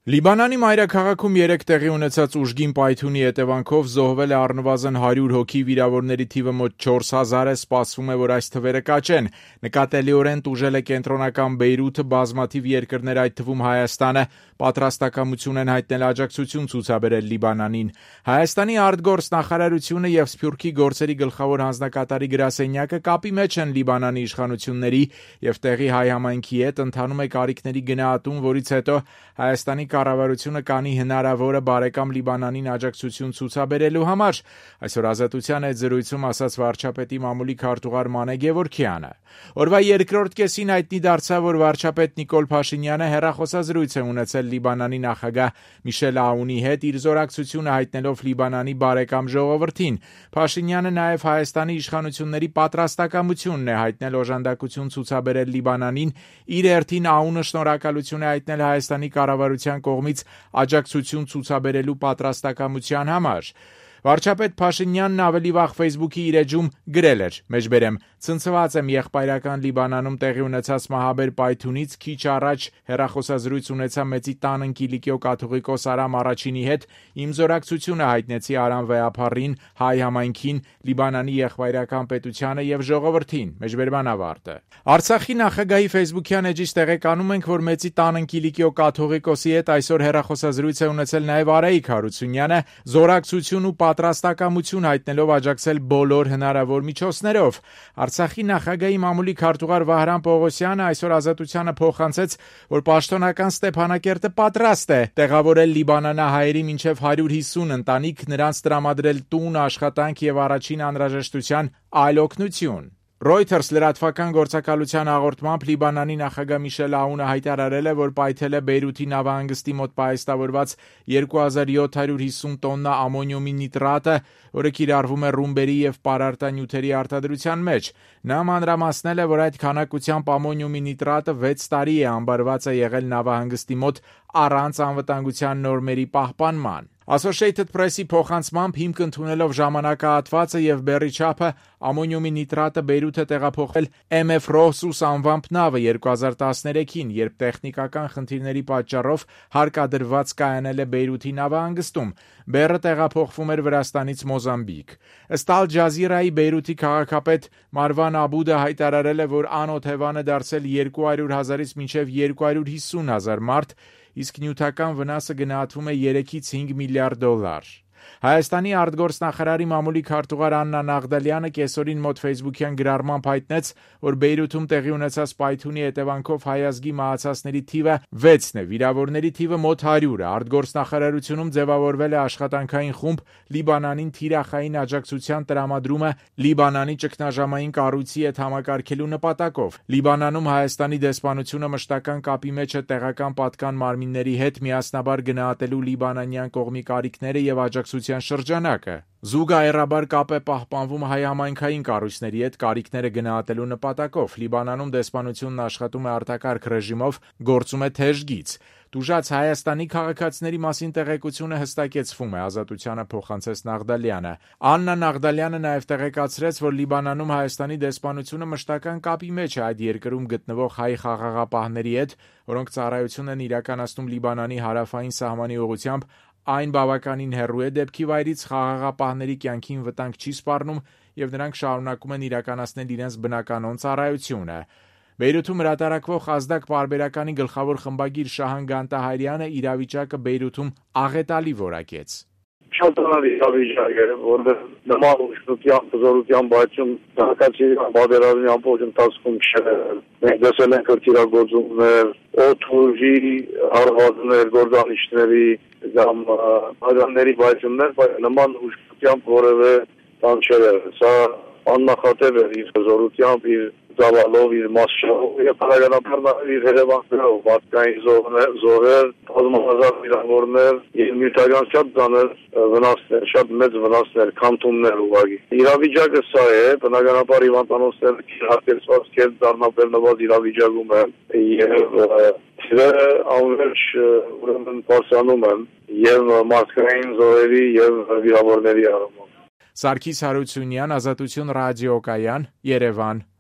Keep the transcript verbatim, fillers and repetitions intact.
Լիբանանի մայրաքաղաքում երեկ տեղի ունեցած ուժգին պայթյունի հետևանքով զոհվել է առնվազն հարյուր հոգի, վիրավորների թիվը մոտ չորս հազար է, սպասվում է, որ այս թվերը կաճեն։ Նկատելիորեն տուժել է կենտրոնական Բեյրութը, բազմաթիվ երկրներ, այդ թվում Հայաստանը, պատրաստակամություն են հայտնել աջակցություն ցուցաբերել Լիբանանին։ Հայաստանի արտգործնախարարությունը եւ Սփյուռքի գործերի գլխավոր հանձնակատարի գրասենյակը կապի մեջ են Լիբանանի իշխանությունների եւ տեղի հայ համայնքի հետ, ընթանում է կարիքների գնահատում, որից հետո Հայաստանի կառավարությունը կանի հնարավորը բարեկամ Լիբանանին աջակցություն ցուցաբերելու համար, այսօր Ազատության հետ զրույցում ասաց վարչապետի մամուլի քարտուղար Մանե Գևորգյանը։ Օրվա երկրորդ կեսին հայտնի դարձավ, որ վարչապետ Նիկոլ Փաշինյանը հեռախոսազրույց է ունեցել Լիբանանի նախագահ Միշել Աունի հետ, իր զորակցությունը հայտնելով Լիբանանի բարեկամ ժողովրդին։ Փաշինյանը նաև Հայաստանի իշխանությունների պատրաստակամությունն է հայտնել օժանդակություն ցուցաբերել Լիբանանին, իր հերթին Աունը շնորհակալություն է հայտնել Հայաստանի կառավարության կողմից աջակցություն ցուցաբերելու պատրաստակամության համար։ Վարչապետ Փաշինյանն ավելի վաղ Facebook-ի իր էջում գրել էր. «Մեջբերեմ, ցնցված եմ եղբայրական Լիբանանում տեղի ունեցած մահաբեր պայթյունից, քիչ առաջ հեռախոսազրույց ունեցա մեծի տան Կիլիկիո կաթողիկոս Արամ Առաջինի հետ, իմ զորակցությունը հայտնեցի Արամ Վեհափառին, հայ համայնքին, Լիբանանի եղբայրական պետությանը եւ ժողովրդին»։ Մեջբերման ավարտը։ Արցախի նախագահի Facebook-յան էջից տեղեկանում ենք, որ մեծի տան Կիլիկիո կաթողիկոսի հետ այսօր հեռախոսազրույց է ունեցել նաև Արայիկ Հարությունյանը, զորակցություն ու պատրաստակամություն հայտնելով աջակցել բոլոր հնարավոր միջոցներով։ Արցախի նախագահի մամուլի քարտուղար Վահրամ Պողոսյանը այսօր Ազատությանը փոխանցեց, որ պաշտոնական Ստեփանակերտը պատրաստ է տեղավորել լիբանանահայերի մինչև հարյուր հիսուն ընտանիք, նրանց տրամադրել տուն, աշխատանք եւ առաջին անհրաժեշտության այլ օգնություն։ Reuters լրատվական գործակալության հաղորդմամբ Լիբանանի նախագահ Միշել Աունը հայտարարել է, որ պայթել է Բեյրութի նավահանգստի մոտ պահեստավորված երկու հազար յոթ հարյուր հիսուն տոննա ամոնիումի նիտրատը, որը կիրառվում է ռումբերի եւ պարարտանյութերի արտադրության մեջ։ Նա մանրամասնել է, որ այդ քանակությամբ ամոնիումի նիտրատը վեց տարի է ամբարված է եղել նավահանգստի մոտ առանց անվտանգության նորմերի պահպանման։ Associated Press-ի փոխանցմամբ հիմք ընդունելով ժամանակահատվածը եւ բեռի չափը ամոնիումի նիտրատը Բեյրութ է տեղափոխել Էմ Էֆ Ռոսուս անվամբ նավը երկու հազար տասներեքին, երբ տեխնիկական խնդիրների պատճառով հարկադրված կայանել է Բեյրութի նավահանգստում։ Բեռը տեղափոխվում էր Վրաստանից Մոզամբիկ։ Ըստ Ալ Ջազիրայի Բեյրութի քաղաքապետ Մարվան Աբուդը հայտարարել է, որ անօթևան է դարձել երկու հարյուր հազարից մինչև երկու հարյուր հիսուն հազար մարդ, իսկ նյութական վնասը գնահատվում է երեքից հինգ միլիարդ դոլար։ Հայաստանի արտգործնախարարի մամուլի քարտուղար Աննա Նաղդալյանը կեսօրին մոտ Facebook-յան գրառմամբ հայտնեց, որ Բեյրութում տեղի ունեցած պայթյունի հետևանքով հայ ազգի մահացածների թիվը վեցն է, վիրավորների թիվը մոտ հարյուր է։ Արտգործնախարարությունում ձևավորվել է աշխատանքային խումբ Լիբանանին թիրախային աջակցության տրամադրումը Լիբանանի ճգնաժամային կառույցի հետ համակարգելու նպատակով։ Լիբանանում Հայաստանի դեսպանությունը մշտական կապի մեջ է տեղական պատկան մարմինների հետ, միասնաբար գնահատելու լիբանանյան կողմի կարիքները եւ աջակցության շրջանակը։ Զուգահեռաբար կապ է պահպանվում հայ համայնքային կառույցների հետ կարիքները գնահատելու նպատակով։ Լիբանանում դեսպանությունն աշխատում է արտակարգ ռեժիմով, գործում է թեժ գիծ։ Տուժած Հայաստանի քաղաքացիների մասին տեղեկությունը հստակեցվում է, Ազատությանը փոխանցեց Նաղդալյանը։ Աննա Նաղդալյանը նաև տեղեկացրեց, որ Լիբանանում Հայաստանի դեսպանությունը մշտական կապի մեջ է այդ երկրում գտնվող հայ խաղաղապահների հետ, որոնք ծառայություն են իրականացնում Լիբանանի հարավային սահմանի ուղղությամբ, այն բավականին հեռու է դեպքի վայրից, խաղաղապահների կյանքին վտանգ չի սպառնում եւ նրանք շարունակում են իրականացնել իրենց բնականոն ծառայությունը։ Բեյրութում հրատարակվող ազդակ պարբերականի գլխավոր խմբագիր Շահան Գանտահարյանը իրավիճակը Բեյրութում աղետալի որակեց։ Շատ իրավիճակ է, որովհետեւ նման ուշքության, հզորության բացում հակացի բادرální ամբողջ ընթացքում չէ։ Մենք դասել ենք քրտիրագործումներ, օթուժի հարվածներ, գործանիշների կամ հազարների բացումներ, բայց նման ուշքությամբ որևէ բան չէ։ Սա աննախադեպ է իր հզորությամբ, իր ծավալով, իր մասշտաբով եւ բնականաբար իր հետևանքներով, մարդկային զոհեր, զոհեր, բազմահազար վիրավորներ, եւ նյութական շատ ծանր վնասներ, շատ մեծ վնասներ, քանթումներ ուղղակի։ Իրավիճակը սա է, բնականաբար հիվանդանոցները հատկացված կերպ դառնաբերնված իրավիճակում են եւ դերը անverջ ուրեմն փոխանում են եւ մարդկային զոհերի եւ վիրավորների առումով։ Սարգիս Հարությունյան, Ազատություն ռադիոկայան, Երևան։